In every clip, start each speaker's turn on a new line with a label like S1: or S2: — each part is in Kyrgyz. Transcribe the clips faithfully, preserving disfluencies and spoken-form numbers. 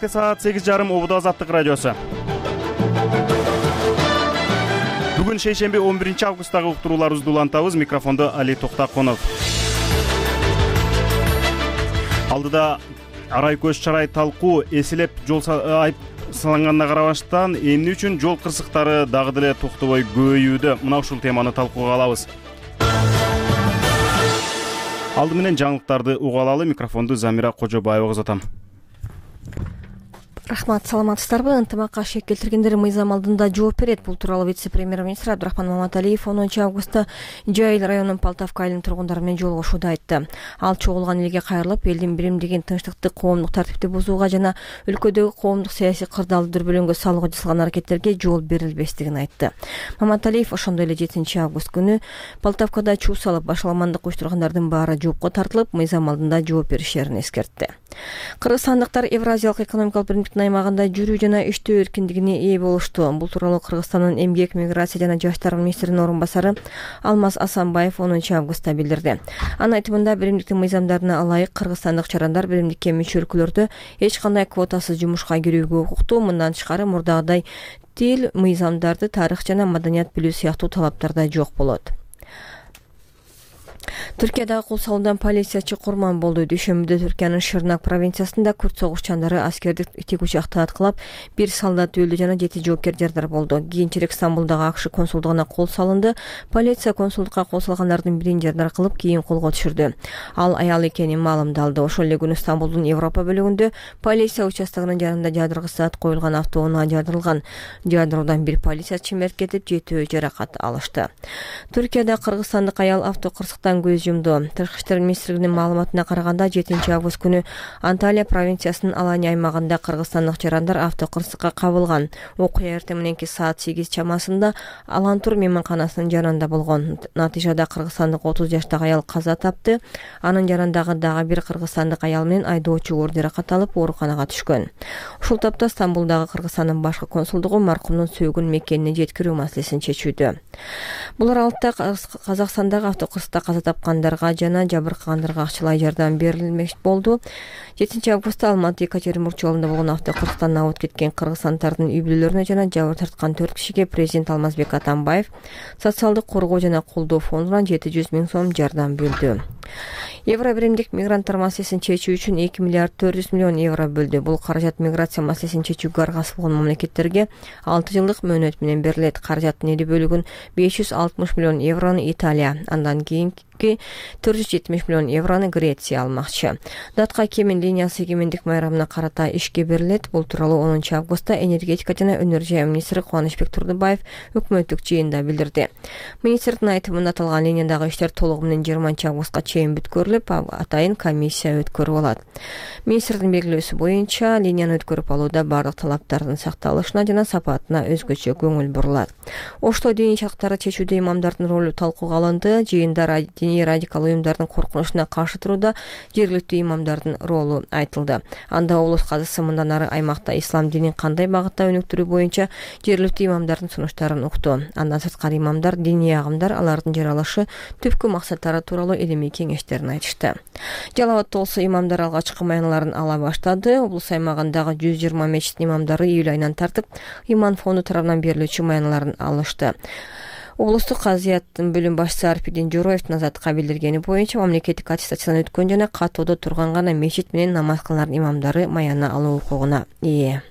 S1: Кечээкте саат сегиз жарым Обуда Азаттык радиосу. Бүгүн шейшемби он биринчи августтагы уктурууларыбызды улантабыз. Микрофондо Али Токтаконов. Алдыда арай көз чарай талкуу эселеп жол айып салынганына карабаштан эмне үчүн жол кырсыктары дагы деле токтобой көбөйүүдө? Мына ушул теманы талкууга алабыз. Алды менен жаңылыктарды уга алалы. Микрофонду Замира Кожобаева узатам.
S2: Рахмат, саламатсыздарбы? Ынтымакка шек келтиргендер мыйзам алдында жооп берет. Бул тууралуу вице-премьер-министр Абдрахман Маматалиев онунчу августта Жайыл районунун Полтавка айылынын тургундары менен жолугушууда айтты. Ал чогулган элге кайрылып, элдин биримдигин, тынчтыкты, коомдук тартипти бузууга жана өлкөдөгү коомдук саясий кырдаалды дүрбөлөңгө салууга жасалган аракеттерге жол берилбестигин айтты. Маматалиев ошондой эле жетинчи август күнү Полтавкада чуу салып башаламандык уюштургандардын баары жоопко тартылып, мыйзам алдында жооп беришерин эскертти. Кыргызстандыктар Евразиялык экономикалык биримдиктин аймагында жүрүү жана иштөө эркиндигине ээ болушту. Бул тууралуу Кыргызстандын эмгек, миграция жана жаштар министринин орун басары Алмаз Асанбаев онунчу августта билдирди. Анын айтымында, биримдиктин мыйзамдарына ылайык кыргызстандык чарандар биримдикке мүчө өлкөлөрдө эч кандай квотасыз жумушка кирүүгө укуктуу. Мындан тышкары мурдагыдай тил, мыйзамдарды, тарых жана маданият билүү сыяктуу талаптар да жок болот. Түркиядагы кул салуудан полициячы курман болду. Дүйшөмбүдө Түркиянын Шырнак провинциясында күрт согушчандары аскердик тигучакты аткылап, бир солдат өлдү жана жети жоопкер жардар болду. Кийинчерээк Стамбулдагы АКШ консулдугуна кол салынды. Полиция консулдукка кол салгандардын бирин жардар кылып, кийин колго түшүрдү. Ал аял экенин маалымдалды. Ошол эле күнү Стамбулдун Европа бөлүгүндө полиция участогунун жанында жадыргыч зат коюлган автоунаа жардырылган. Жардыруудан бир полициячы мерт кетип, жетөө жаракат алышты. Түркияда кыргызстандык аял автокырсыктан көз жумду. Тышкы иштер министрлигинин маалыматына караганда, жетинчи август күнү Анталия провинциясынын Алания аймагында кыргызстандык жарандар автокырсыкка кабылган. Окуя эртең мененки саат сегиз чамасында Алантур мейманканасынын жанында болгон. Натыйжада кыргызстандык отуз жаштагы аял каза тапты. Анын жанындагы дагы бир кыргызстандык аял менен айдоочу оор жаракат алып, ооруканага түшкөн. Ушул тапта Стамбулдагы Кыргызстандын башкы консулдугу маркумдун сөөгүн мекенине жеткирүү маселесин чечүүдө. Булар алдыда Казакстандагы автокырсыкта каза тапкандарга жана жабыркагандарга акчалай жардам берилмек болду. жетинчи августта Алматы Екатеринбург жолунда болгон автокырсыктан абыт кеткен кыргызстандардын үй бүлөлөрүнө жана жабыр тарткан төрт кишиге президент Алмазбек Атамбаев социалдык коргоо жана колдоо фондунан жети жүз миң сом жардам бөлдү. Евро биримдик мигранттар маселесин чечүү үчүн эки миллиард төрт жүз миллион евро бөлдү. Бул каражат миграция маселесин чечүүгө аргасыз болгон мамлекеттерге алты жылдык мөөнөт менен берилет. Каражаттын элүү бөлүгүн беш жүз алтымыш миллион еврону Италия, андан кийинки төрт жүз жетимиш миллион еврону Греция алмакчы. Датка Кемен линиясы эгемендик майрамына карата ишке берилет. Бул тууралуу онунчу августта энергетика жана өнөр жай министри Кубанычбек Турдубаев өкмөттүк жыйында билдирди. Министрдин айтымында, аталган линиядагы иштер толугу менен жыйырманчы августка чейин бүткөрүлүп, атайын комиссия өткөрүп алат. Министрдин белгилөөсү боюнча, линияны өткөрүп алууда бардык талаптардын сакталышына жана сапатына өзгөчө көңүл бурулат. Ошто диний чарктарды чечүүдө имамдардын ролу талкууга алынды. Жыйында диний радикал уюмдардын коркунучуна каршы турууда жергиликтүү имамдардын ролу айтылды. Анда облус казысы мындан ары аймакта ислам динин кандай багытта өнүктүрүү боюнча жергиликтүү имамдардын сунуштарын укту. Андан сырткары имамдар, диний агымдар алардын жаралышы, түпкү максаттары тууралуу илимий кеңештерин айтышты. Жалал Абадта болсо имамдар алгачкы маяналарын ала баштады. Облус аймагындагы жүз жыйырма мечиттин имамдары июль айынан тартып иман фонду тарабынан берилүүчү маяналарын алышты. Облустук казыяттын бөлүм башчысы Арпидин Жороевдин Азатка билдиргени боюнча, мамлекеттик аттестациядан өткөн жана каттоодо турган гана мечит менен намаз кылган имамдары маяна алуу укугуна ээ.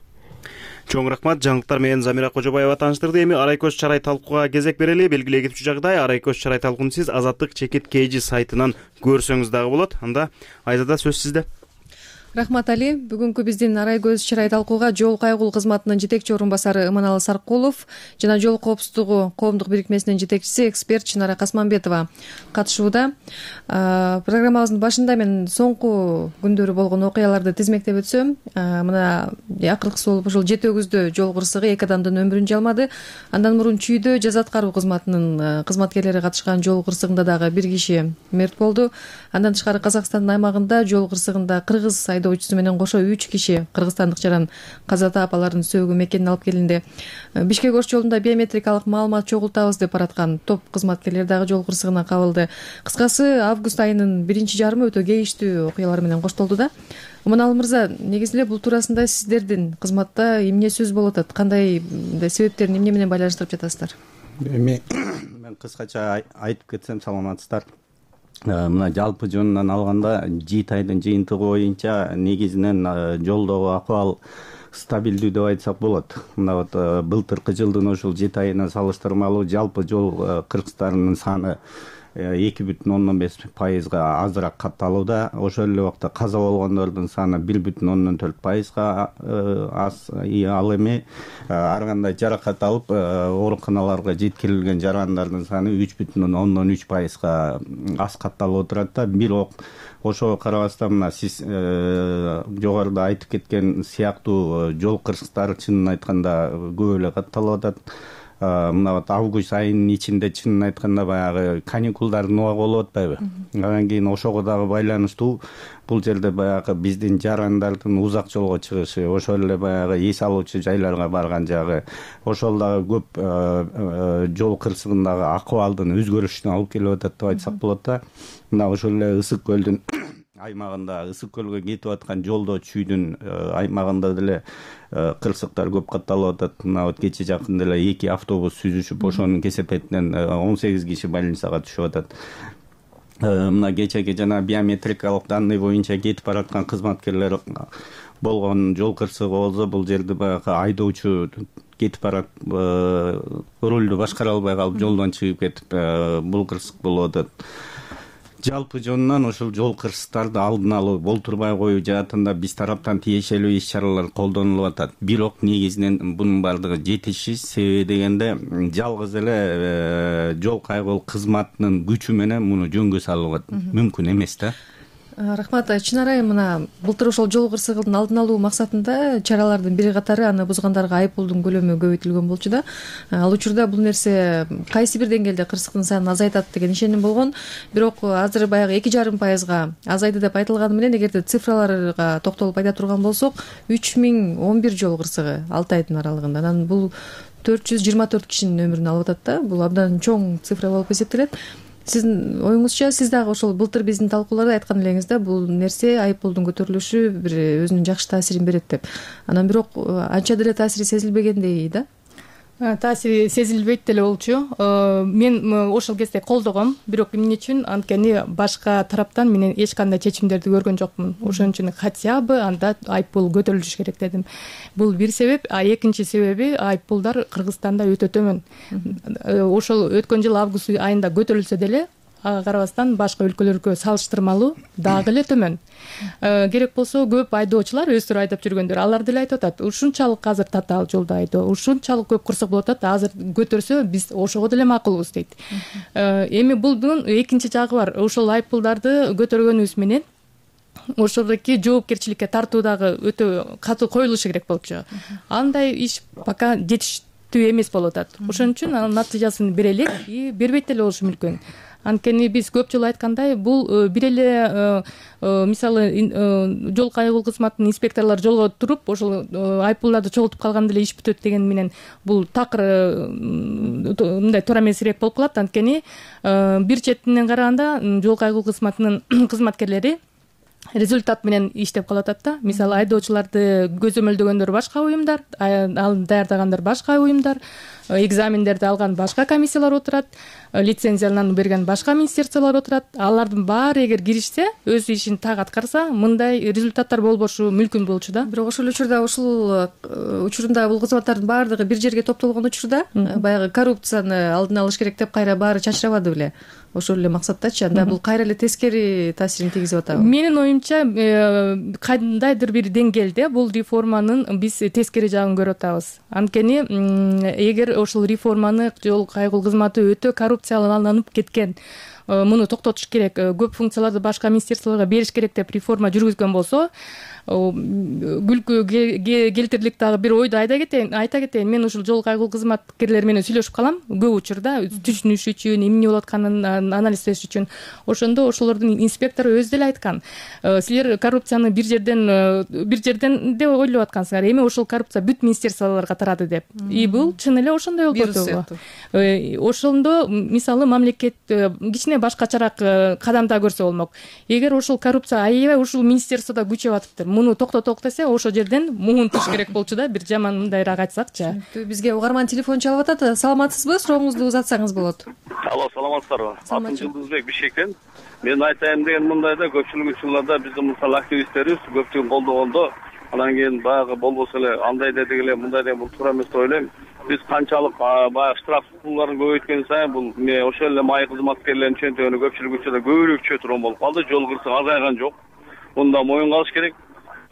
S1: Чоң рахмат. Жаңылыктар менен Замира Кожобаева тааныштырды. Эми арай көз чарай талкууга кезек берели. Белгилей кетчү жагдай, арай көз чарай талкуун сиз Азаттык чекит кж сайтынан көрсөңүз дагы болот. Анда Айзада сөз сизде.
S3: Рахмат, Али. Бүгүнкү биздин арай көз чарай талкууга жол кайгул кызматынын жетекчи орун басары Иманалы Саркулов жана жол коопсуздугу коомдук бирикмесинин жетекчиси эксперт Чынара Касманбетова катышууда. Программабыздын башында мен соңку күндөрү болгон окуяларды тизмектеп өтсөм, мына акыркысы болуп ушул жети өгүздө жол кырсыгы эки адамдын өмүрүн жалмады. Андан мурун Чүйдө жаза аткаруу кызматынын кызматкерлери катышкан жол кырсыгында дагы бир киши мерт болду. Андан тышкары Казакстандын аймагында жол кырсыгында кыргыз айдоочусу менен кошо үч киши кыргызстандык жаран каза таап алардын сөөгү мекенине алып келинди. Бишкек Ош жолунда биометрикалык маалымат чогултабыз деп бараткан топ кызматкерлери дагы жол кырсыгына кабылды. Кыскасы август айынын биринчи жарымы өтө кейиштүү окуялар менен коштолду да. Уманалы мырза, негизи эле бул туурасында сиздердин кызматта эмне сөз болуп атат? Кандай себептерин эмне менен байланыштырып жатасыздар?
S4: Эми мен кыскача айтып кетсем, саламатсыздар. Мына жалпы жөнүнөн алганда жети айдын жыйынтыгы боюнча негизинен жолдогу акыбал стабилдүү деп айтсак болот. Мына вот былтыркы жылдын ушул жети айына салыштырмалуу жалпы жол кыргыздарынын саны эки бүтүн ондон беш пайызга азыраак катталууда. Ошол эле убакта каза болгондордун саны бир бүтүн ондон төрт пайызга аз. Ал эми ар кандай жаракат алып ооруканаларга жеткирилген жарандардын саны үч бүтүн ондон үч пайызга аз катталып отурат да. Бирок ошого карабастан мына сиз жогоруда айтып кеткен сыяктуу жол кырсыктары чынын айтканда көп эле катталып атат. Мына вот август айынын ичинде чынын айтканда баягы каникулдардын убагы болуп атпайбы? Андан кийин ошого дагы байланыштуу бул жерде баягы биздин жарандардын узак жолго чыгышы, ошол эле баягы эс алуучу жайларга барган жагы, ошол дагы көп жол кырсыгындагы акыбалдын өзгөрүшүнө алып келип атат деп айтсак болот да. Мына ошол эле Ысык көлдүн аймагында, Ысык көлгө кетип аткан жолдо чүйдүн аймагында деле кырсыктар көп катталып атат. Мына вот кече жакында эле эки автобус сүзүшүп, ошонун кесепетинен он сегиз киши больницага түшүп атат. Мына кечеги жана биометрикалык данный боюнча кетип бараткан кызматкерлер болгон жол кырсыгы болсо, бул жерде баягы айдоочу кетип барат, рулду башкара албай калып жолдон чыгып кетип, бул кырсык болуп атат. Жалпы жөнүнөн ушул жол кырсыктарды алдын алуу, болтурбай коюу жаатында биз тараптан тиешелүү иш-чаралар колдонулуп атат. Бирок негизинен бунун бардыгы жетишсиз. Себеби дегенде жалгыз эле жол кайгыл кызматынын күчү менен муну жөнгө салууга мүмкүн эмес да.
S3: Рахмат. Чынарай, мына былтыр ошол жол кырсыгынын алдын алуу максатында чаралардын бири катары аны бузгандарга айыппулдун көлөмү көбөйтүлгөн болчу да. Ал учурда бул нерсе кайсы бир деңгээлде кырсыктын санын азайтат деген ишеним болгон. Бирок азыр баягы эки жарым пайызга азайды деп айтылганы менен, эгерде цифраларга токтолуп айта турган болсок, үч миң он бир жол кырсыгы алты айдын аралыгында. Анан бул төрт жүз жыйырма төрт кишинин өмүрүн алып атат да. Бул абдан чоң цифра болуп эсептелет. Сиздин оюңузча, сиз дагы ошол былтыр биздин талкууларда айткан элеңиз да, бул нерсе айыппулдун көтөрүлүшү бир өзүнүн жакшы таасирин берет деп. Анан бирок анча деле таасири сезилбегендей да.
S5: Таасири сезилбейт деле болчу. Мен ошол кезде колдогом, бирок эмне үчүн? Анткени башка тараптан менен эч кандай чечимдерди көргөн жокмун. Ошон үчүн хотя бы анда айыппул көтөрүлүш керек дедим. Бул бир себеп, а экинчи себеби айыппулдар Кыргызстанда өтө төмөн. Ошол өткөн жыл август айында көтөрүлсө деле, ага карабастан башка өлкөлөргө салыштырмалуу дагы эле төмөн. Керек болсо көп айдоочулар өздөрү айдап жүргөндөр, алар деле айтып атат, ушунчалык азыр татаал жолдо айдоо, ушунчалык көп кырсык болуп атат, азыр көтөрсө биз ошого деле макулбуз дейт. Эми булдун экинчи жагы бар. Ошол айыппулдарды көтөргөнүбүз менен ошолдоки жоопкерчиликке тартуу дагы өтө катуу коюлушу керек болчу. Андай иш пока жетиштүү эмес болуп атат. Ошон үчүн анын натыйжасын бере элек, и бербейт деле болушу мүмкүн. Анткени биз көп жолу айткандай, бул бир эле мисалы жол кайгыл кызматынын инспекторлору жолго туруп, ошол айыппулдарды чогултуп калганда эле иш бүтөт деген менен бул такыр мындай туура эмесирээк болуп калат. Анткени бир четинен караганда жол кайгыл кызматынын кызматкерлери результат менен иштеп калып атат да. Мисалы айдоочуларды көзөмөлдөгөндөр башка уюмдар, ал даярдагандар башка уюмдар, экзамендерди алган башка комиссиялар отурат, лицензияны берген башка министерстволор отурат. Алардын баары эгер киришсе, өз ишин так аткарса, мындай результаттар болбошу мүмкүн болчу да.
S3: Бирок ошол учурда ушул учурунда бул кызматтардын баардыгы бир жерге топтолгон учурда баягы коррупцияны алдын алыш керек деп кайра баары чачырабады беле? Ошол эле максаттачы, анда бул кайра эле тескери таасирин тийгизип атабы?
S5: Менин оюмча, кандайдыр бир деңгээлде бул реформанын биз тескери жагын көрүп атабыз. Анткени эгер ошол реформаны жол кайгыл кызматы өтө коррупцияланып кеткен, муну токтотуш керек, көп функцияларды башка министерстволорго бериш керек деп реформа жүргүзгөн болсо, күлкү келтирлик дагы бир ойду айта кетейин айта кетейин мен ушул жол кайгылуу кызматкерлери менен сүйлөшүп калам көп учурда, түшүнүш үчүн, эмне болуп атканын анализдеш үчүн. Ошондо ошолордун инспектору өзү деле айткан, силер коррупцияны бир жерден бир жерден деп ойлоп аткансыңар, эми ошол коррупция бүт министерстволорго тарады деп. И бул чын эле ошондой болуп атабы? Ошондо мисалы мамлекет кичине башкачараак кадам да көрсө болмок. Эгер ошол коррупция аябай ушул министерстводо күчөп атыптыр, муну токтоток десе, ошол жерден муунтуш керек болчу да, бир жаман мындайраак айтсакчы.
S3: Бизге угарман телефон чалып атат. Саламатсызбы? Сурооңузду узатсаңыз болот.
S6: Алло, саламатсыздарбы? Атым Жылдызбек, Бишкектен. Мен айтайын деген мындай да, көпчүлүк учурларда биздин мисалы активисттерибиз көптүгүн колдогондо, анан кийин баягы болбосо эле андай дедик эле, мындай деген бул туура эмес деп ойлойм. Биз канчалык баягы штраф пулдарын көбөйткөн сайын бул ошол эле май кызматкерлеринин чөнтөгүнө көпчүлүк учурда көбүрөөк түшө турган болуп калды. Жол кырсыгы азайган жок. Мында моюнга алыш керек.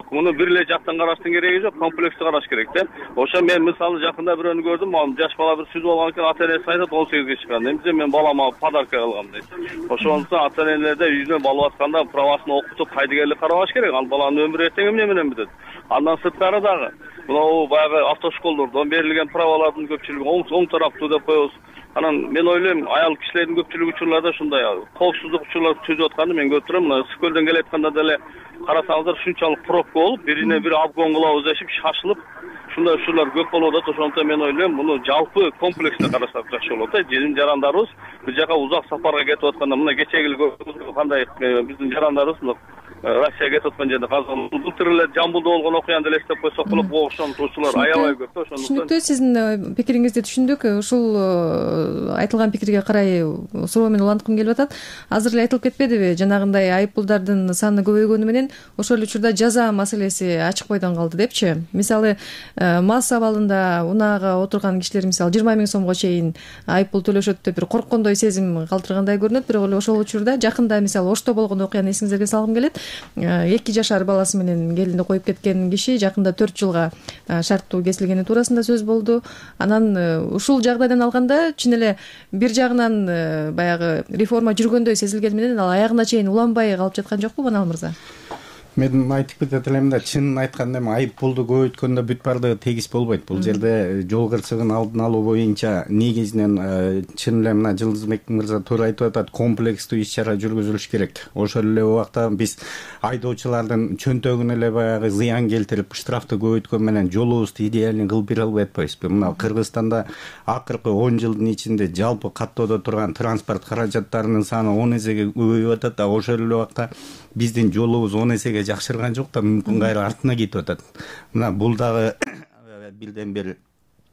S6: Муну бир эле жактан караштын кереги жок, комплекстүү караш керек да. Ошо мен мисалы жакында бирөөнү көрдүм, ал жаш бала бир сүзүп алган экен, ата энеси айтат он сегизге чыккан. Эмне мен балама подарка кылгам дейт. Ошондуктан ата энелерде үйүнө бала атканда правасын окутуп, кайдыгерлик карабаш керек. Ал баланын өмүрү эртең эмне менен бүтөт. Андан сырткары дагы мына баягы автошколдордон берилген правалардын көпчүлүгү оң тараптуу деп коебуз. Анан мен ойлойм, аял кишилердин көпчүлүк учурларда ушундай коопсуздук учурлар түзүп атканды мен көрүп турам. Мына Скөлдөн келатканда деле карасаңыздар ушунчалык пробка болуп, бирине бири обгон кылабыз дешип шашылып, ушундай учурлар көп болуп атат. Ошондуктан мен ойлойм, муну жалпы комплекстүү карасак жакшы болот да. Жин жарандарыбыз бир жака узак сапарга кетип атканда, мына кечеги кандай биздин жарандарыбыз Россияга кетип аткан жерде казган былтыр эле Жамбылда болгон окуяны элестеп койсок болот. Ошолор аябай көп да. Ошондуктан
S3: түшүнүктүү, сиздин пикириңизди түшүндүк. Ушул айтылган пикирге карай суроо менен уланткым келип атат. Азыр эле айтылып кетпедиби, жанагындай айып пулдардын саны көбөйгөнү менен ошол учурда жаза маселеси ачык бойдон калды депчи. Мисалы мас абалында унаага отурган кишилер мисалы жыйырма миң сомго чейин айып пул төлөшөт деп бир корккондой сезим калтыргандай көрүнөт. Бирок эле ошол учурда жакында мисалы Ошто болгон окуяны эсиңизерге салгым келет. эки жашар баласы менен келинди коюп кеткен киши жакында төрт жылга шарттуу кесилгени туурасында сөз болду. Анан ушул жагдайдан алганда чын эле бир жагынан баягы реформа жүргөндөй сезилгени менен ал аягына чейин уланбай калып жаткан жокпу, Манал мырза?
S4: Мен айтып кетет элем да, чынын айтканда эми айып пулду көбөйткөндө бүт баардыгы тегиз болбойт. Бул жерде жол кырсыгын алдын алуу боюнча негизинен чын эле мына Жылдызбек мырза туура айтып атат, комплекстүү иш чара жүргүзүлүш керек. Ошол эле убакта биз айдоочулардын чөнтөгүнө эле баягы зыян келтирип, штрафты көбөйткөн менен жолубузду идеальный кылып бере албай атпайбызбы? Мына Кыргызстанда акыркы он жылдын ичинде жалпы каттоодо турган транспорт каражаттарынын саны он эсеге көбөйүп атат да, ошол эле убакта биздин жолубуз он эсеге жакшырган жок да, мүмкүн кайра артына кетип атат. Мына бул дагы бирден бир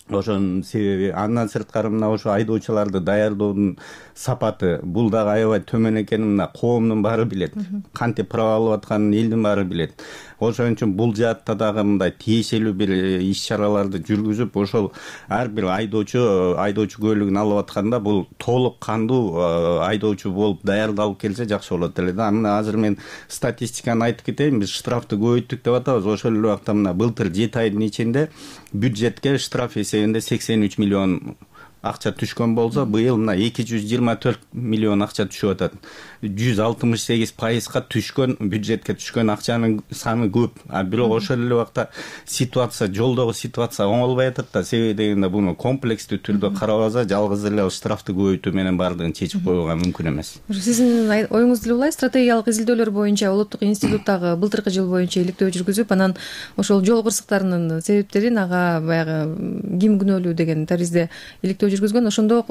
S4: ошонун себеби. Андан сырткары мына ошо айдоочуларды даярдоонун сапаты бул дагы аябай төмөн экенин мына коомдун баары билет. Кантип права алып атканын элдин баары билет. Ошон үчүн бул жаатта дагы мындай тиешелүү бир иш чараларды жүргүзүп, ошол ар бир айдоочу айдоочу куөлүгүн алып атканда бул толук кандуу айдоочу болуп даярдалып келсе жакшы болот эле да. Мына азыр мен статистиканы айтып кетейин. Биз штрафты көбөйттүк деп атабыз. Ошол эле убакта мына былтыр жети айдын ичинде бюджетке штраф эсебинде сексен үч миллион акча түшкөн болсо, быйыл мына эки жүз жыйырма төрт миллион акча түшүп атат. жүз алтымыш сегиз пайызга түшкөн, бюджетке түшкөн акчанын саны көп. А бирок ошол эле убакта ситуация, жолдогу ситуация оңолбой атат да. Себеби дегенде буну комплекстүү түрдө карабаса, жалгыз эле штрафты көбөйтүү менен баардыгын чечип коюуга мүмкүн эмес.
S3: Сиздин оюңуз деле улай, стратегиялык изилдөөлөр боюнча Улуттук институттагы былтыркы жыл боюнча иликтөө жүргүзүп, анан ошол жол кырсыктарынын себептерин ага баягы ким күнөөлүү деген таризде иликтөө жүргүзгөн. Ошондо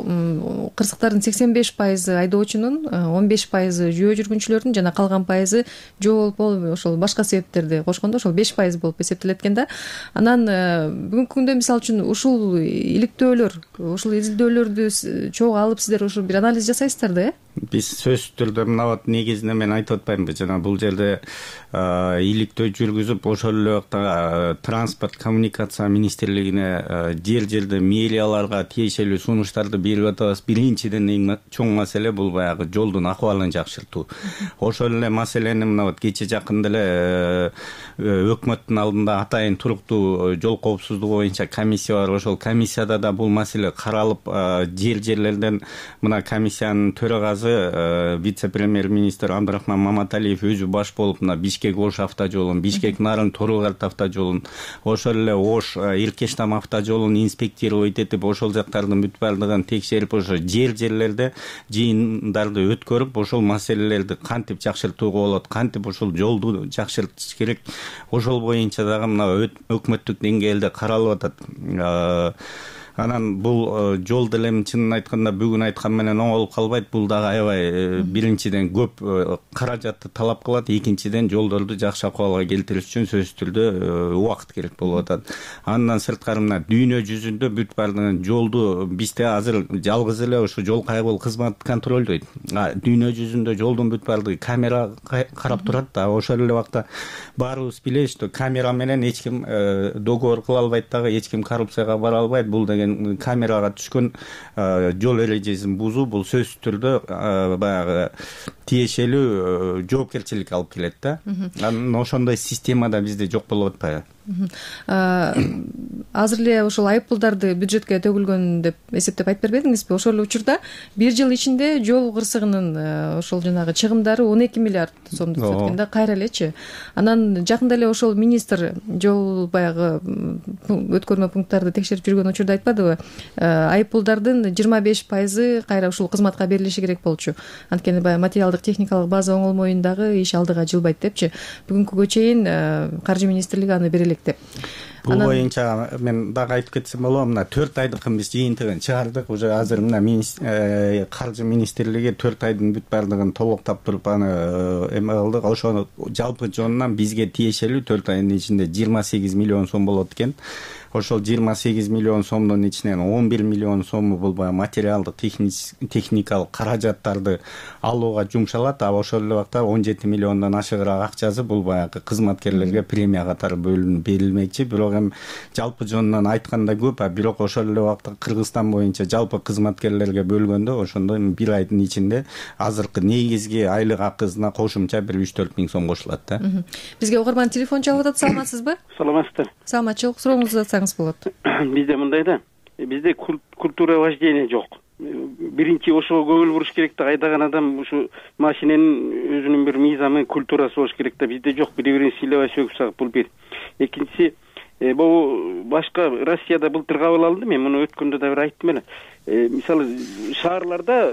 S3: кырсыктардын сексен беш пайызы айдоочунун, он беш пайызы жөө жүргүнчүлөрдүн жана калган пайызы жол болуп ошол башка себептерди кошкондо ошол беш пайыз болуп эсептелет экен да. Анан бүгүнкү күндө мисалы үчүн ушул иликтөөлөр, ушул изилдөөлөрдү чогуу алып сиздер ушул бир анализ жасайсыздар да, э?
S4: Биз сөзсүз түрдө мына вот негизинен мен айтып атпаймынбы, жана бул жерде иликтөө жүргүзүп, ошол эле убакта транспорт коммуникация министрлигине жер жерде мэрияларга тиешелүү сунуштарды берип атабыз. Биринчиден эң чоң маселе бул баягы жолдун акыбалын жакшыртуу. Ошол эле маселени мына вот кече жакында эле өкмөттүн алдында атайын туруктуу жол коопсуздугу боюнча комиссия бар. Ошол комиссияда да бул маселе каралып, жер жерлерден мына комиссиянын төрагасы азыркы вице премьер министр Абдрахман Маматалиев өзү баш болуп мына Бишкек Ош автожолун, Бишкек Нарын Торугарт автожолун, ошол эле Ош Иркештам автожолун инспектировать этип, ошол жактардын бүт баардыгын текшерип, ошо жер жерлерде жыйындарды өткөрүп, ошол маселелерди кантип жакшыртууга болот, кантип ошол жолду жакшыртыш керек, ошол боюнча дагы мына өкмөттүк деңгээлде каралып атат. Анан бул жол деле чынын айтканда бүгүн айткан менен оңолуп калбайт. Бул дагы аябай биринчиден көп каражатты талап кылат, экинчиден жолдорду жакшы акыбалга келтириш үчүн сөзсүз түрдө убакыт керек болуп атат. Андан сырткары мына дүйнө жүзүндө бүт баардыгын жолду бизде азыр жалгыз эле ушу жол кайгыл кызмат контролдойт. Дүйнө жүзүндө жолдун бүт баардыгы камера карап турат да. Ошол эле убакта баарыбыз билебиз, что камера менен эч ким договор кыла албайт дагы, эч ким коррупцияга бара албайт. Бул деген камерага түшкөн жол эрежесин бузуу, бул сөзсүз түрдө баягы тиешелүү жоопкерчилик алып келет да. Анан ошондой системада бизде жок болуп атпайбы?
S3: Азыр эле ошол айыппулдарды бюджетке төгүлгөн деп эсептеп айтып бербедиңизби? Ошол учурда бир жыл ичинде жол кырсыгынын ошол жанагы чыгымдары он эки миллиард сомду түзөткөн да, кайра элечи. Анан жакында эле ошол министр жол баягы өткөрмө пункттарды текшерип жүргөн учурда айтпадыбы? Айыппулдардын жыйырма беш пайызы кайра ушул кызматка берилиши керек болчу. Анткени баягы материалдык техникалык база оңолмоюндагы иш алдыга жылбайт депчи. Бүгүнкүгө чейин Каржы министрлиги аны берелек деп.
S4: Бул боюнча мен дагы айтып кетсем болобу, мына төрт айдыкын биз жыйынтыгын чыгардык. Уже азыр мына Каржы министрлиги төрт айдын бүт баардыгын толуктап туруп аны эме кылдык. Ошону жалпы жонунан бизге тиешелүү төрт айдын ичинде жыйырма сегиз миллион сом болот экен. Ошол жыйырма сегиз миллион сомдун ичинен он бир миллион сому бул баягы материалдык техникалык каражаттарды алууга жумшалат. А ошол эле убакта он жети миллиондон ашыгыраак акчасы бул баягы кызматкерлерге премия катары бөлүнүп берилмекчи. Бирок эми жалпы жонунан айтканда көп, а бирок ошол эле убакта Кыргызстан боюнча жалпы кызматкерлерге бөлгөндө ошондо бир айдын ичинде азыркы негизги айлык акысына кошумча бир үч төрт миң сом кошулат да.
S3: Бизге угарман телефон чалып атат. Саламатсызбы?
S6: Саламатсыздар.
S3: Саламатчылык, сурооңузду атсаңыз болот.
S6: Бизде мындай да, бизде культура вождения жок. Биринчи ошого көңүл буруш керек да, айдаган адам ушу машиненин өзүнүн бир мыйзамы, культурасы болуш керек да. Бизде жок, бири-бирин сыйлабай сөгүп сагып, бул бир. Экинчиси, бул башка Россияда былтыр кабыл алынды, мен муну өткөндө да бир айттым эле. Мисалы шаарларда,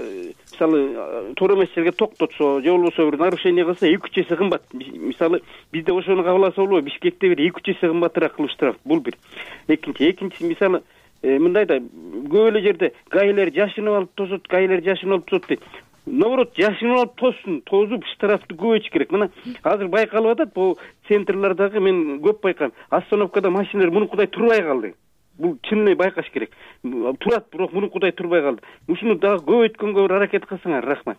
S6: мисалы туура эмес жерге токтотсо, же болбосо бир нарушение кылса эки үч эсе кымбат. Мисалы бизде ошону кабыл алса болобу? Бишкекте бир эки үч эсе кымбатыраак кылыштырат. Бул бир. Экинчи, экинчиси мисалы мындай да, көп эле жерде гаилер жашынып алып тосот, гаилер жашынып алып тосот дейт. Наоборот, жашынып алып тоссун, тозуп штрафты көбөйтүш керек. Мына азыр байкалып атат, бул центрлардагы мен көп байкайм. Остановкада машиналар мунукудай турбай калды. Бул чын эле байкаш керек. Турат, бирок мунукудай турбай калды. Ушуну дагы көбөйткөнгө бир аракет кылсаңар, рахмат.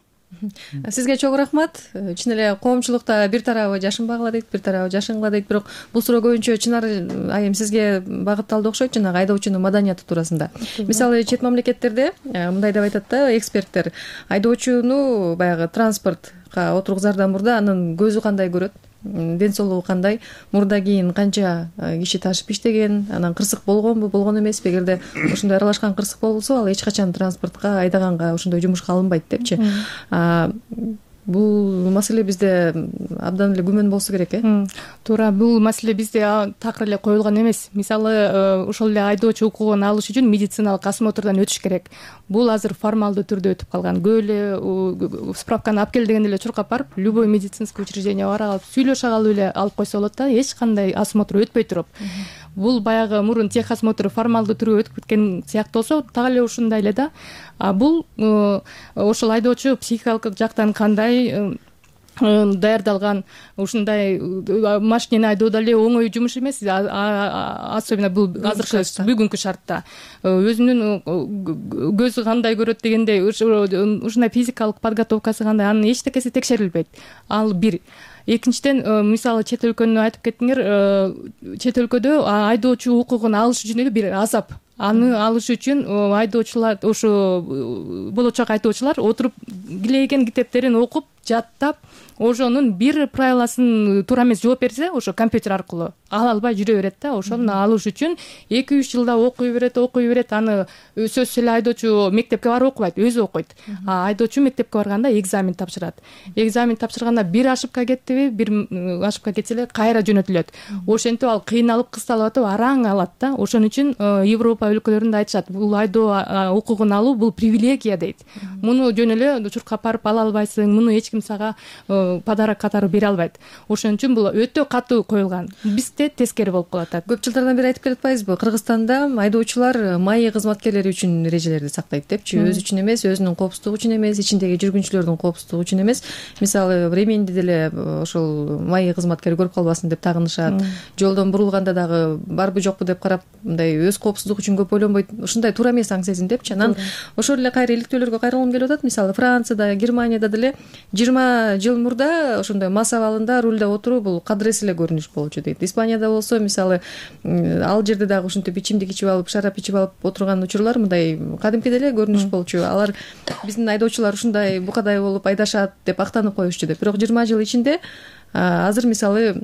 S3: Сизге чоң рахмат. Чын эле коомчулукта бир тарабы жашынбагыла дейт, бир тарабы жашынгыла дейт, бирок бул суроо көбүнчө чынары айым сизге багытталды окшойт, жанагы айдоочунун маданияты туурасында. Мисалы чет мамлекеттерде мындай деп айтат да эксперттер, айдоочуну баягы транспортко отургузаардан мурда анын көзү кандай көрөт, ден соолугу кандай, мурда кийин канча киши ташып иштеген, анан кырсык болгонбу, болгон эмеспи, эгерде ошондой аралашкан кырсык болсо ал эч качан транспортко айдаганга ошондой жумушка алынбайт депчи. Бул маселе бизде абдан эле күмөн болсо керек, э?
S5: Туура, бул маселе бизде такыр эле коюлган эмес. Мисалы, ошол эле айдоочу укугун алыш үчүн медициналык осмотрдон өтүш керек. Бул азыр формалдуу түрдө өтүп калган. Көп эле справканы алып кел дегенде эле чуркап барып, любой медицинский учреждение бара калып, сүйлөшө калып эле алып койсо болот да, эч кандай осмотр өтпөй туруп. Бул баягы мурун техосмотр формалдуу түргө өтүп кеткен сыяктуу болсо, так эле ушундай эле да. А бул ошол айдоочу психикалык жактан кандай даярдалган, ушундай машинени айдоо деле оңой жумуш эмес, особенно бул азыркы бүгүнкү шартта. Өзүнүн көзү кандай көрөт дегендей, ушундай физикалык подготовкасы кандай, анын эчтекеси текшерилбейт. Ал бир. Экинчиден, мисалы чет өлкөнү айтып кеттиңер, чет өлкөдө айдоочу укугун алыш үчүн эле бир азап. Аны алыш үчүн айдоочулар, ошо болочок айдоочулар отуруп килейген китептерин окуп, жаттап ошонун бир правиласын туура эмес жооп берсе ошо компьютер аркылуу ала албай жүрө берет да. Ошону алыш үчүн эки үч жылда окуй берет окуй берет аны сөзсүз эле айдоочу мектепке барып окубайт, өзү окуйт. А айдоочу мектепке барганда экзамен тапшырат. Экзамен тапшырганда бир ошибка кеттиби, бир ошибка кетсе эле кайра жөнөтүлөт. Ошентип ал кыйналып кысталып атып араң алат да. Ошон үчүн Европа өлкөлөрүндө айтышат, бул айдоо укугун алуу бул привилегия дейт. Муну жөн эле чуркап барып ала албайсың, муну эч ким сага подарок катары бере албайт. Ошон үчүн бул өтө катуу коюлган. Бизде тескери болуп калат.
S3: Көп жылдардан бери айтып келатпайбызбы, Кыргызстанда айдоочулар маи кызматкерлери үчүн эрежелерди сактайт депчи, өзү үчүн эмес, өзүнүн коопсуздугу үчүн эмес, ичиндеги жүргүнчүлөрдүн коопсуздугу үчүн эмес. Мисалы временди деле ошол маи кызматкери көрүп калбасын деп тагынышат. Жолдон бурулганда дагы барбы жокпу деп карап, мындай өз коопсуздугу үчүн көп ойлонбойт. Ушундай туура эмес аң сезим депчи. Анан ошол эле кайра иликтөөлөргө кайрылгым келип атат. Мисалы Францияда, Германияда деле жыйырма жыл мурда ошондой мас абалында рулда отуруу бул кадырес эле көрүнүш болчу дейт. Испанияда болсо мисалы ал жерде дагы ушинтип ичимдик ичип алып, шарап ичип алып отурган учурлар мындай кадимкидей эле көрүнүш болчу. Алар биздин айдоочулар ушундай букадай болуп айдашат деп актанып коюшчу деп. Бирок жыйырма жыл ичинде азыр мисалы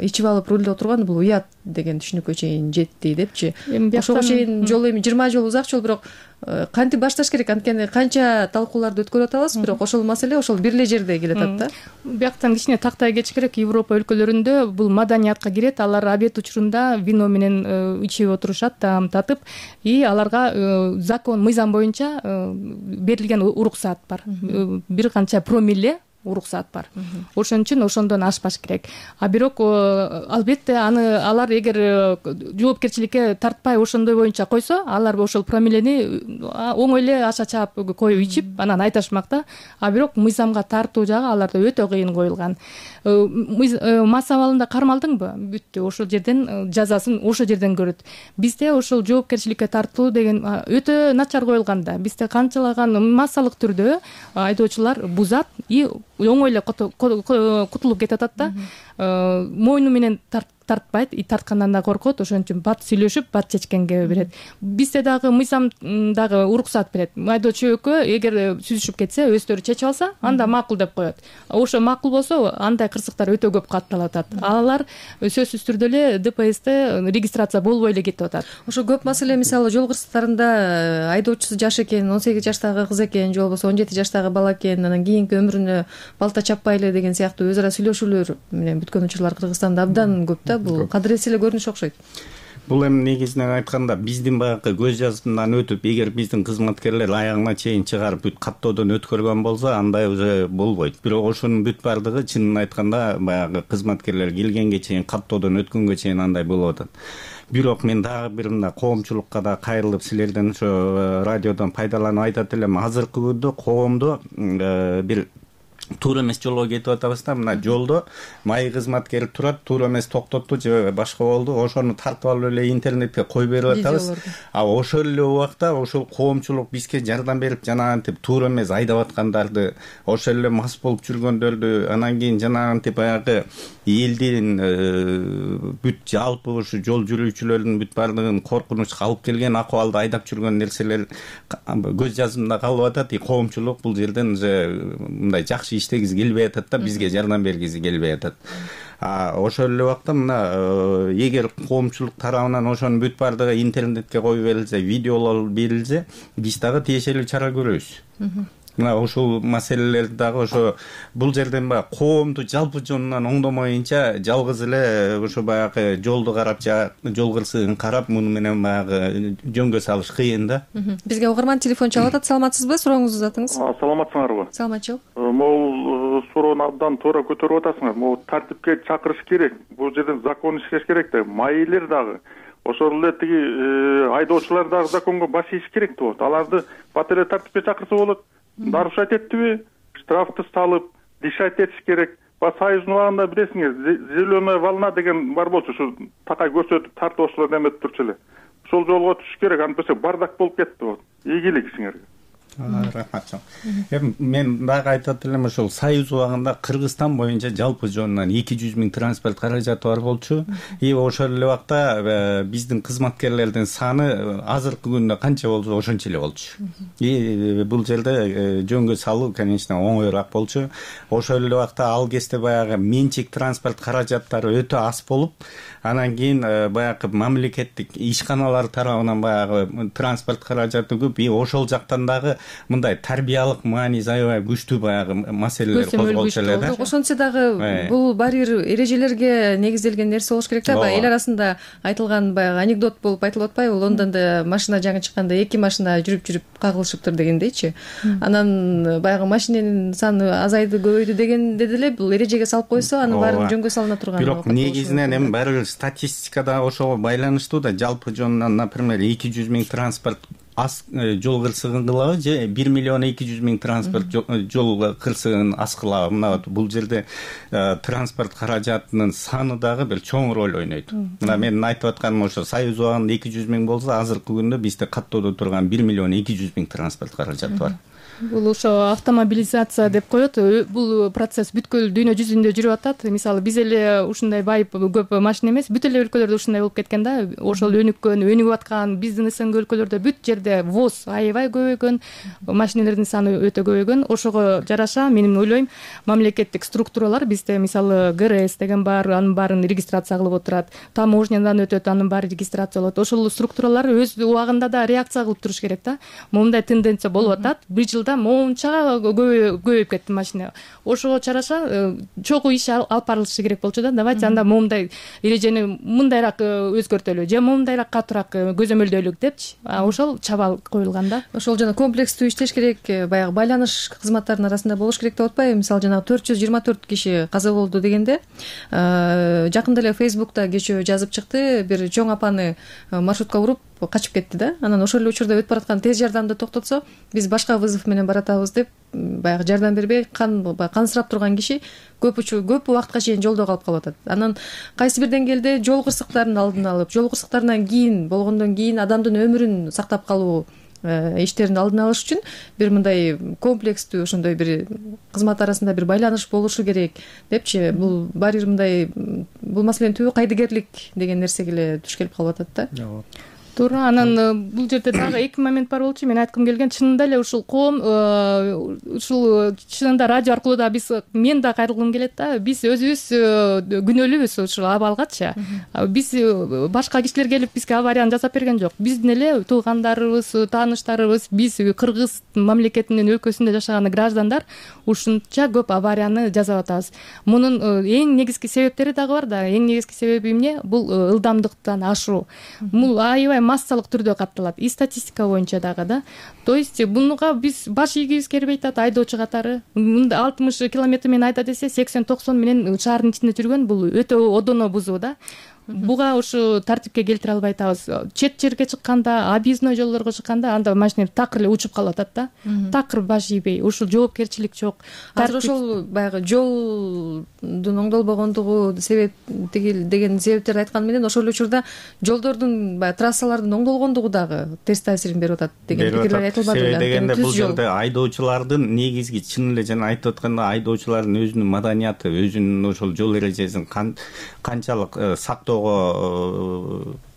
S3: ичип алып рулда отурган бул уят деген түшүнүккө чейин жетти депчи. Ошого чейин жол эми жыйырма жыл узак жол, бирок кантип башташ керек? Анткени канча талкууларды өткөрүп атабыз, бирок ошол маселе ошол бир эле жерде келатат да.
S5: Бияктан кичине тактай кетиш керек. Европа өлкөлөрүндө бул маданиятка кирет. Алар обед учурунда вино менен ичип отурушат, таам татып, и аларга закон, мыйзам боюнча берилген уруксаат бар. Бир канча промилле уруксаат бар. Ошон үчүн ошондон ашпаш керек. А бирок албетте аны алар эгер жоопкерчиликке тартпай ошондой боюнча койсо, алар ошол промиллени оңой эле аша чаап коюп ичип анан айташмак да. А бирок мыйзамга тартуу жагы аларда өтө кыйын коюлган. Мас абалында кармалдыңбы? Бүттү. Ошол жерден жазасын ошол жерден көрөт. Бизде ошол жоопкерчиликке тартуу деген өтө начар коюлган да. Бизде канчалаган массалык түрдө айдоочулар бузат и оңой эле кутулуп кетип атат да. Мойну менен тартпайт, и тарткандан да коркот. Ошон үчүн бат сүйлөшүп, бат чечкенге берет. Бизде дагы мыйзам дагы уруксаат берет. Айдоочу экөө эгер сүзүшүп кетсе, өздөрү чечип алса, анда макул деп коет. Ошо макул болсо, андай кырсыктар өтө көп катталып атат. Алар сөзсүз түрдө эле Д П Сте регистрация болбой эле кетип атат.
S3: Ошо көп маселе, мисалы жол кырсыктарында айдоочусу жаш экен, он сегиз жаштагы кыз экен, же болбосо он жети жаштагы бала экен, анан кийинки өмүрүнө балта чаппайлы деген сыяктуу өз ара сүйлөшүүлөр менен бүткөн учурлар Кыргызстанда абдан көп да. Бул кадырес эле көрүнүш окшойт.
S4: Бул эми негизинен айтканда биздин баягы көз жазымдан өтүп, эгер биздин кызматкерлер аягына чейин чыгарып бүт каттоодон өткөргөн болсо, андай уже болбойт. Бирок ошонун бүт бардыгы чынын айтканда баягы кызматкерлер келгенге чейин, каттоодон өткөнгө чейин андай болуп атат. Бирок мен дагы бир мындай коомчулукка да кайрылып, силерден ошо радиодон пайдаланып айтат элем. Азыркы күндө коомдо бир туура эмес жолго кетип атабыз да. Мына жолдо маи кызматкери турат, туура эмес токтотту же башка болду, ошону тартып алып эле интернетке коюп берип атабыз. А ошол эле убакта ошол коомчулук бизге жардам берип, жанагынтип туура эмес айдап аткандарды, ошол эле мас болуп жүргөндөрдү, анан кийин жанагынтип баягы элдин бүт жалпы ушу жол жүрүүчүлөрдүн бүт бардыгын коркунучка алып келген акыбалда айдап жүргөн нерселер көз жазымда калып атат. И коомчулук бул жерден уже мындай жакшы иштегизи келбей атат да, бизге жардам бергиси келбей атат. Ошол эле убакта мына эгер коомчулук тарабынан ошонун бүт бардыгы интернетке коюп берилсе, видеолор берилсе, биз дагы тиешелүү чара көрөбүз. Мына ушул маселелерди дагы ошо бул жерден баягы коомду жалпы жонунан оңдомоюнча жалгыз эле ошо баягы жолду карап, жол кырсыгын карап, муну менен баягы жөнгө салыш кыйын да.
S3: Бизге угарман телефон чалып атат. Саламатсызбы? Сурооңузду узатыңыз.
S7: Саламатсыңарбы?
S3: Саламатчылык.
S7: Могул суроону абдан туура көтөрүп атасыңар. Могу тартипке чакырыш керек. Бул жерден закон иштеш керек да. Майилер дагы ошол эле тиги айдоочулар дагы законго баш ийиш керек болот. Аларды бат эле тартипке чакырса болот. Нарушать эттиби, штрафты салып, дишать этиш керек. Ба союздун убагында билесиңер, зеленая волна деген бар болчу, ушу такай көрсөтүп тартып эметип турчу эле. Ошол жолго түшүш керек, антпесе бардак болуп кетти болот. Ийгилик сиңерге.
S4: Рахмат чоң. Эми мен дагы айтат элем, ошол Союз убагында Кыргызстан боюнча жалпы жөнүнөн эки жүз миң транспорт каражаты бар болчу. И ошол эле убакта биздин кызматкерлердин саны азыркы күндө канча болсо ошончо эле болчу. И бул жерде жөнгө салуу, конечно, оңоюраак болчу. Ошол эле убакта ал кезде баягы менчик транспорт каражаттары өтө аз болуп, анан кийин баягы мамлекеттик ишканалар тарабынан баягы транспорт каражаты көп. И ошол жактан дагы мындай тарбиялык мааниси аябай күчтүү баягы маселелер козголчу эле да.
S3: Ошентсе дагы бул баары бир эрежелерге негизделген нерсе болуш керек да. Эл арасында айтылган баягы анекдот болуп айтылып атпайбы? Лондондо машина жаңы чыкканда эки машина жүрүп-жүрүп кагылышыптыр дегендейчи. Анан баягы машиненин саны азайды, көбөйдү дегенде деле бул эрежеге салып койсо, анын баарын жөнгө салына турган.
S4: Бирок негизинен эми баары бир статистикада ошого байланыштуу да. Жалпы жөнүнөн, например, эки жүз миң транспорт аз жол кырсыгын кылабы же бир миллион эки жүз миң транспорт жол кырсыгын аз кылабы? Мына бул жерде транспорт каражатынын саны дагы бир чоң роль ойнойт. Мына менин айтып атканым ошо, Союз убагында эки жүз миң болсо, азыркы күндө бизде каттоодо турган бир миллион эки жүз миң транспорт каражаты бар.
S5: Бул ошо автомобилизация деп коет. Бул процесс бүткүл дүйнө жүзүндө жүрүп атат. Мисалы биз эле ушундай байып көп машина эмес, бүт эле өлкөлөрдө ушундай болуп кеткен да. Ошол өнүккөн, өнүгүп аткан биздин СНГ өлкөлөрдө бүт жерде ВОЗ аябай көбөйгөн, машинелердин саны өтө көбөйгөн. Ошого жараша мен ойлойм, мамлекеттик структуралар бизде мисалы ГРС деген бар, анын баарын регистрация кылып отурат. Таможнядан өтөт, анын баары регистрацияланат. Ошол структуралар өз убагында да реакция кылып туруш керек да. Момундай тенденция болуп атат. Бир жылда моунча көбөйүп кетти машина. Ошого жараша чогуу иш алып барылышы керек болчу да. Давайте анда момундай эрежени мындайраак өзгөртөлү же момундайраак катуураак көзөмөлдөйлүк депчи. Ошол чабал коюлган да.
S3: Ошол жана комплекстүү иштеш керек, баягы байланыш кызматтарынын арасында болуш керек деп атпайбы? Мисалы жанагы төрт жүз жыйырма төрт киши каза болду дегенде, жакында эле Facebook'та кечөө жазып чыкты, бир чоң апаны маршрутка уруп качып кетти да. Анан ошол эле учурда өтүп бараткан тез жардамды токтотсо, биз башка вызов менен баратабыз деп баягы жардам бербей кан кансырап турган киши көп көп убакытка чейин жолдо калып калып атат. Анан кайсы бир деңгээлде жол кырсыктарынын алдын алып, жол кырсыктарынан кийин болгондон кийин адамдын өмүрүн сактап калуу иштерин алдын алыш үчүн бир мындай комплекстүү ошондой бир кызмат арасында бир байланыш болушу керек депчи. Бул баары бир мындай бул маселенин түбү кайдыгерлик деген нерсеге эле туш келип калып атат да.
S5: Туура. Анан бул жерде дагы эки момент бар болчу. Мен айткым келген, чынында эле ушул коом, ушул чынында радио аркылуу да биз, мен да кайрылгым келет да. Биз өзүбүз күнөөлүүбүз ушул абалгачы. Биз башка кишилер келип бизге аварияны жасап берген жок. Биздин эле туугандарыбыз, тааныштарыбыз, биз Кыргыз мамлекетинин өлкөсүндө жашаган граждандар ушунча көп аварияны жасап атабыз. Мунун эң негизги себептери дагы бар да. Эң негизги себеби эмне? Бул ылдамдыктан ашуу. Бул аябай массалык түрдө катталат. И статистика боюнча дагы да. То есть буга биз баш ийгибиз келбей атат айдоочу катары. Мында алтымыш километр менен айда десе, сексен токсон менен шаардын ичинде жүргөн, бул өтө одоно бузуу да. Буга ушу тартипке келтире албай атабыз. Чет жерге чыкканда, объездной жолдорго чыкканда, анда машина такыр эле учуп калып атат да. Такыр баш ийбей, ушул жоопкерчилик жок.
S3: Азыр ошол баягы жолдун оңдолбогондугу себеп деген себептерди айткан менен, ошол учурда жолдордун баягы трассалардын оңдолгондугу дагы терс таасирин берип атат деген пикирлер айтылбады беле.
S4: Дегенде бул жерде айдоочулардын негизги, чын эле жана айтып атканда, айдоочулардын өзүнүн маданияты, өзүнүн ошол жол эрежесин канчалык сактоо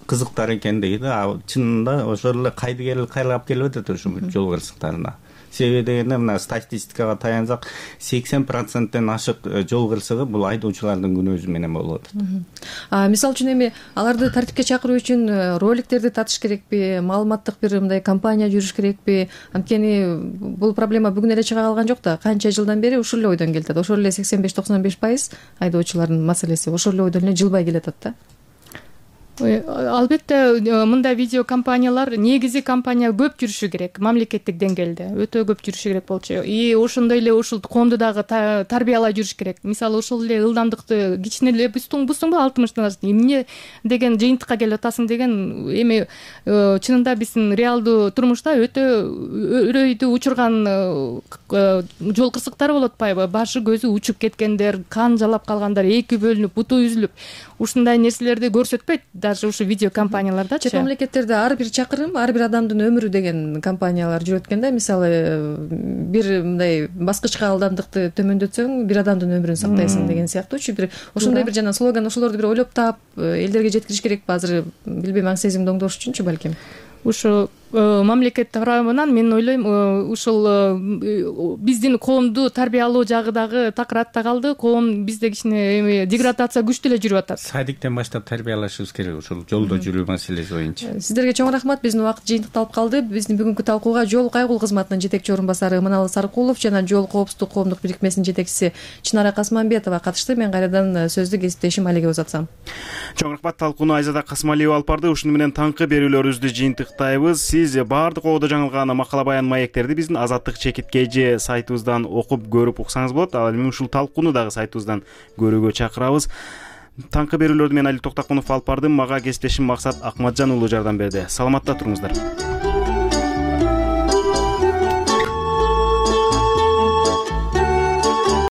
S4: кызыктар экендиги да. Чынында ошол эле кайдыгерлик кайрылып келип атат ушул жол кырсыктарына. Себеби дегенде, мына статистикага таянсак, сексен проценттен ашык жол кырсыгы бул айдоочулардын күнөөсү менен болуп атат.
S3: Мисалы үчүн эми аларды тартипке чакыруу үчүн роликтерди татыш керекпи, маалыматтык бир мындай компания жүрүш керекпи? Анткени бул проблема бүгүн эле чыга калган жок да. Канча жылдан бери ушул эле ойдон келет. Ошол эле сексен беш токсон беш пайыз айдоочулардын маселеси ошол эле ойдон эле жылбай келатат да.
S5: Албетте мындай видео компаниялар, негизи компания көп жүрүшү керек, мамлекеттик деңгээлде өтө көп жүрүшү керек болчу. И ошондой эле ушул коомду дагы тарбиялай жүрүш керек. Мисалы ошол эле ылдамдыкты кичине эле буздуңбу алтымыштан ашты эмне деген жыйынтыкка келип атасың деген, эми чынында биздин реалдуу турмушта өтө өрөйдү учурган жол кырсыктары болуп атпайбы? Башы көзү учуп кеткендер, кан жалап калгандар, эки бөлүнүп, буту үзүлүп, ушундай нерселерди көрсөтпөйт даже ушу видео компаниялардачы.
S3: чет мамлекеттерде ар бир чакырым ар бир адамдын өмүрү деген компаниялар жүрөт экен да. Мисалы бир мындай баскычка ылдамдыкты төмөндөтсөң бир адамдын өмүрүн сактайсың деген сыяктуучу бир ошондой бир жана слоган ошолорду бир ойлоп таап элдерге жеткириш керекпи азыр, билбейм, аң сезимди оңдош үчүнчү балким.
S5: Ушу мамлекет тарабынан мен ойлойм ушул биздин коомду тарбиялоо жагы дагы такыратта калды. Коом бизде кичине эми деградация күчтүү эле жүрүп атат.
S4: Садиктен баштап тарбиялашыбыз керек ушул жолдо жүрүү маселеси боюнча.
S3: Сиздерге чоң рахмат. Биздин убакыт жыйынтыкталып калды. Биздин бүгүнкү талкууга Жол кайгул кызматынын жетекчи орун басары Ыманалы Саркулов жана Жол коопсуздук коомдук бирикмесинин жетекчиси Чынара Касманбетова катышты. Мен кайрадан сөздү кесиптешим Алиге узатсам.
S1: Чоң рахмат. Талкууну Айзада Касмалиева алып барды. Ушуну менен таңкы берүүлөрүбүздү жыйынтыктайбыз. Сиз баардык оодо жаңылган макала баян маектерди биздин Азаттык чекит kg сайтыбыздан окуп көрүп уксаңыз болот. Ал эми ушул талкууну дагы сайтыбыздан көрүүгө чакырабыз. Таңкы берүүлөрдү мен Али Токтокунов алып бардым. Мага кесиптешим Максат Акматжан уулу жардам берди. Саламатта туруңуздар.